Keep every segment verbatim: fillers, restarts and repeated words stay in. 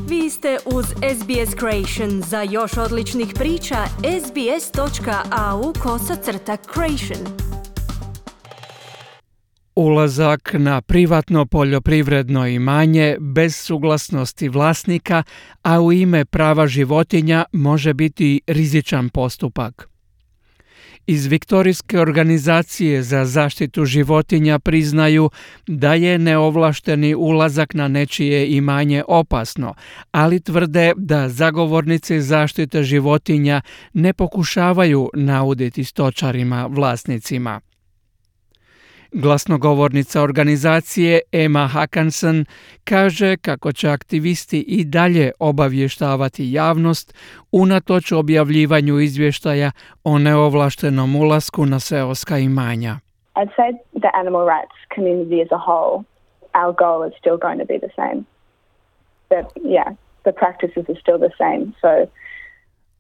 Vi ste uz S B S Creation. Za još odličnih priča, sbs.au kosacrta creation. Ulazak na privatno poljoprivredno imanje bez suglasnosti vlasnika, a u ime prava životinja može biti rizičan postupak. Iz Viktorijske organizacije za zaštitu životinja priznaju da je neovlašteni ulazak na nečije imanje opasno, ali tvrde da zagovornici zaštite životinja ne pokušavaju nauditi stočarima vlasnicima. Glasnogovornica organizacije Emma Haakanson kaže kako će aktivisti i dalje obavještavati javnost unatoč objavljivanju izvještaja o neovlaštenom ulasku na seoska imanja. I'd say the animal rights community as a whole, our goal is still going to be the same. But yeah, the practices are still the same. So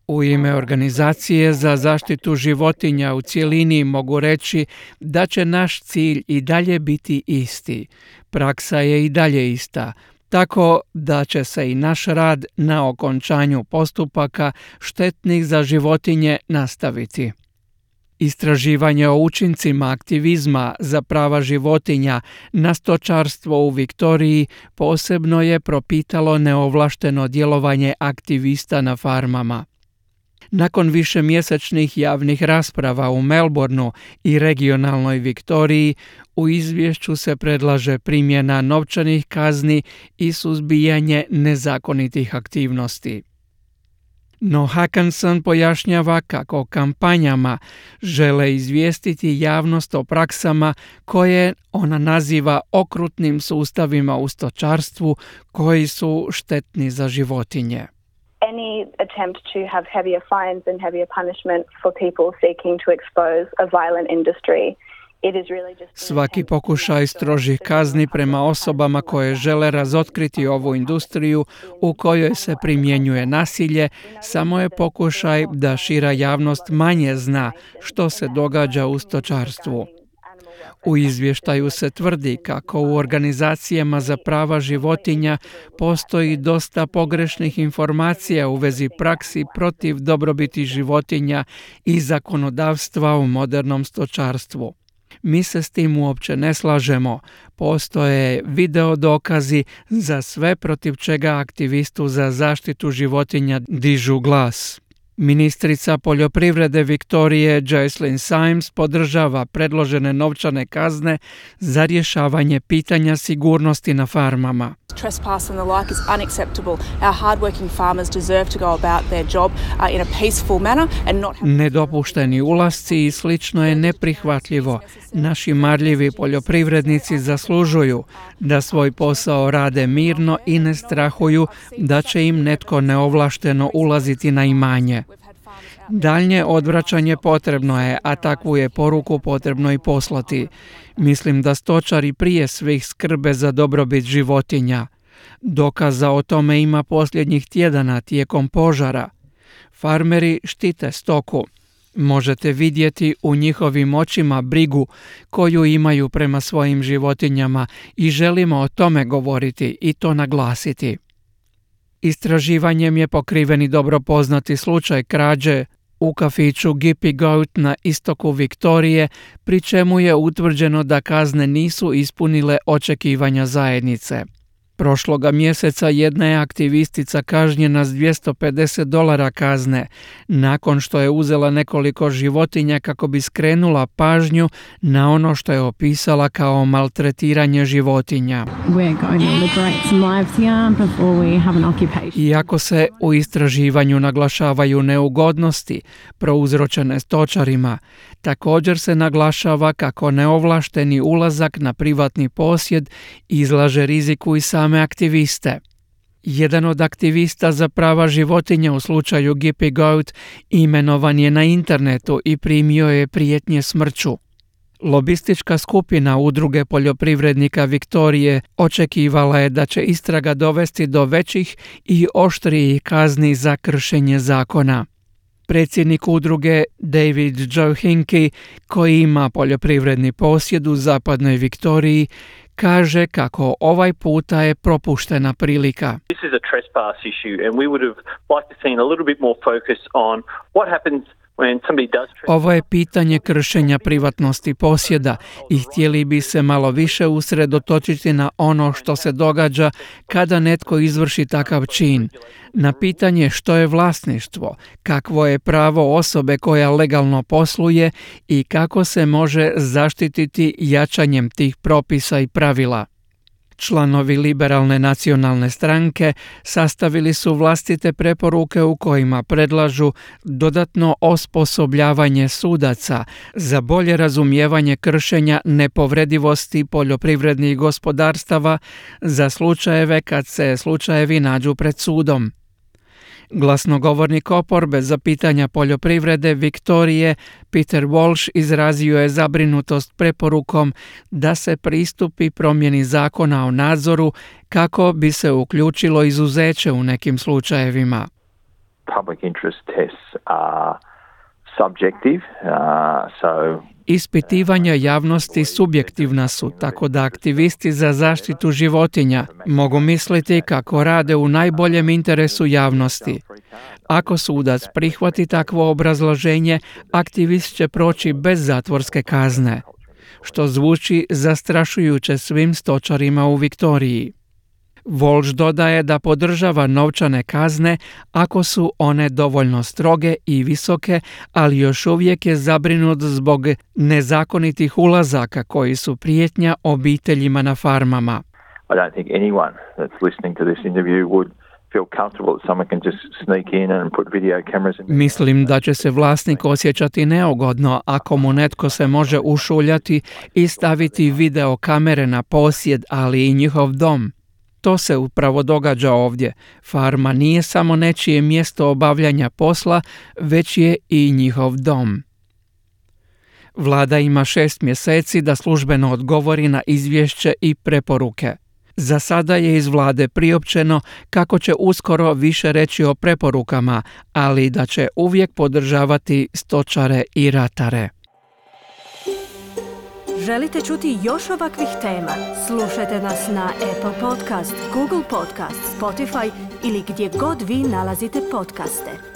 U ime organizacije za zaštitu životinja u cjelini mogu reći da će naš cilj i dalje biti isti. Praksa je i dalje ista, tako da će se i naš rad na okončanju postupaka štetnih za životinje nastaviti. Istraživanje o učincima aktivizma za prava životinja na stočarstvo u Viktoriji posebno je propitalo neovlašteno djelovanje aktivista na farmama. Nakon višemjesečnih javnih rasprava u Melbourneu i regionalnoj Viktoriji, u izvješću se predlaže primjena novčanih kazni i suzbijanje nezakonitih aktivnosti. No Haakanson pojašnjava kako kampanjama žele izvijestiti javnost o praksama koje ona naziva okrutnim sustavima u stočarstvu koji su štetni za životinje. any attempt to have heavier fines and heavier punishment for people seeking to expose a violent industry. Svaki pokušaj strožih kazni prema osobama koje žele razotkriti ovu industriju u kojoj se primjenjuje nasilje samo je pokušaj da šira javnost manje zna što se događa u stočarstvu. U izvještaju se tvrdi kako u organizacijama za prava životinja postoji dosta pogrešnih informacija u vezi praksi protiv dobrobiti životinja i zakonodavstva u modernom stočarstvu. Mi se s tim uopće ne slažemo. Postoje video dokazi za sve protiv čega aktivistu za zaštitu životinja dižu glas. Ministrica poljoprivrede Viktorije Jocelyn Symes podržava predložene novčane kazne za rješavanje pitanja sigurnosti na farmama. Trespass and the like is unacceptable. Our hardworking farmers deserve to go about their job uh, in a peaceful manner and not. Nedopušteni ulasci i slično je neprihvatljivo. Naši marljivi poljoprivrednici zaslužuju da svoj posao rade mirno i ne strahuju da će im netko neovlašteno ulaziti na imanje. Daljnje odvraćanje potrebno je, a takvu je poruku potrebno i poslati. Mislim da stočari prije svih skrbe za dobrobit životinja. Dokaza o tome ima posljednjih tjedana tijekom požara. Farmeri štite stoku. Možete vidjeti u njihovim očima brigu koju imaju prema svojim životinjama i želimo o tome govoriti i to naglasiti. Istraživanjem je pokriven i dobro poznati slučaj krađe u kafiću Gippy Goat na istoku Viktorije, pri čemu je utvrđeno da kazne nisu ispunile očekivanja zajednice. Prošloga mjeseca jedna je aktivistica kažnjena s dvjesto pedeset dolara kazne, nakon što je uzela nekoliko životinja kako bi skrenula pažnju na ono što je opisala kao maltretiranje životinja. Iako se u istraživanju naglašavaju neugodnosti prouzročene stočarima, također se naglašava kako neovlašteni ulazak na privatni posjed izlaže riziku i same aktiviste. Jedan od aktivista za prava životinja u slučaju Gippy Goat imenovan je na internetu i primio je prijetnje smrću. Lobistička skupina Udruge poljoprivrednika Viktorije očekivala je da će istraga dovesti do većih i oštrijih kazni za kršenje zakona. Predsjednik udruge David Joe Hinkey, koji ima poljoprivredni posjed u zapadnoj Viktoriji, kaže kako ovaj puta je propuštena prilika. This is a trespass issue, and we would have liked to seen a little bit more focus on what happens when somebody does trespass. Ovo je pitanje kršenja privatnosti posjeda i htjeli bi se malo više usredotočiti na ono što se događa kada netko izvrši takav čin. Na pitanje što je vlasništvo, kakvo je pravo osobe koja legalno posluje i kako se može zaštititi jačanjem tih propisa i pravila. Članovi Liberalne nacionalne stranke sastavili su vlastite preporuke u kojima predlažu dodatno osposobljavanje sudaca za bolje razumijevanje kršenja nepovredivosti poljoprivrednih gospodarstava za slučajeve kad se slučajevi nađu pred sudom. Glasnogovornik oporbe za pitanja poljoprivrede Viktorije, Peter Walsh, izrazio je zabrinutost preporukom da se pristupi promjeni zakona o nadzoru kako bi se uključilo izuzeće u nekim slučajevima. Public interest tests are subjective, uh, so Ispitivanja javnosti subjektivna su, tako da aktivisti za zaštitu životinja mogu misliti kako rade u najboljem interesu javnosti. Ako sudac prihvati takvo obrazloženje, aktivist će proći bez zatvorske kazne, što zvuči zastrašujuće svim stočarima u Viktoriji. Walsh dodaje da podržava novčane kazne ako su one dovoljno stroge i visoke, ali još uvijek je zabrinut zbog nezakonitih ulazaka koji su prijetnja obiteljima na farmama. I don't think anyone that's listening to this interview would feel comfortable that someone can just sneak in and put video cameras in. Mislim da će se vlasnik osjećati neugodno ako mu netko se može ušuljati i staviti video kamere na posjed, ali i njihov dom. To se upravo događa ovdje. Farma nije samo nečije mjesto obavljanja posla, već je i njihov dom. Vlada ima šest mjeseci da službeno odgovori na izvješće i preporuke. Za sada je iz vlade priopćeno kako će uskoro više reći o preporukama, ali da će uvijek podržavati stočare i ratare. Želite čuti još ovakvih tema? Slušajte nas na Apple Podcast, Google Podcast, Spotify ili gdje god vi nalazite podcaste.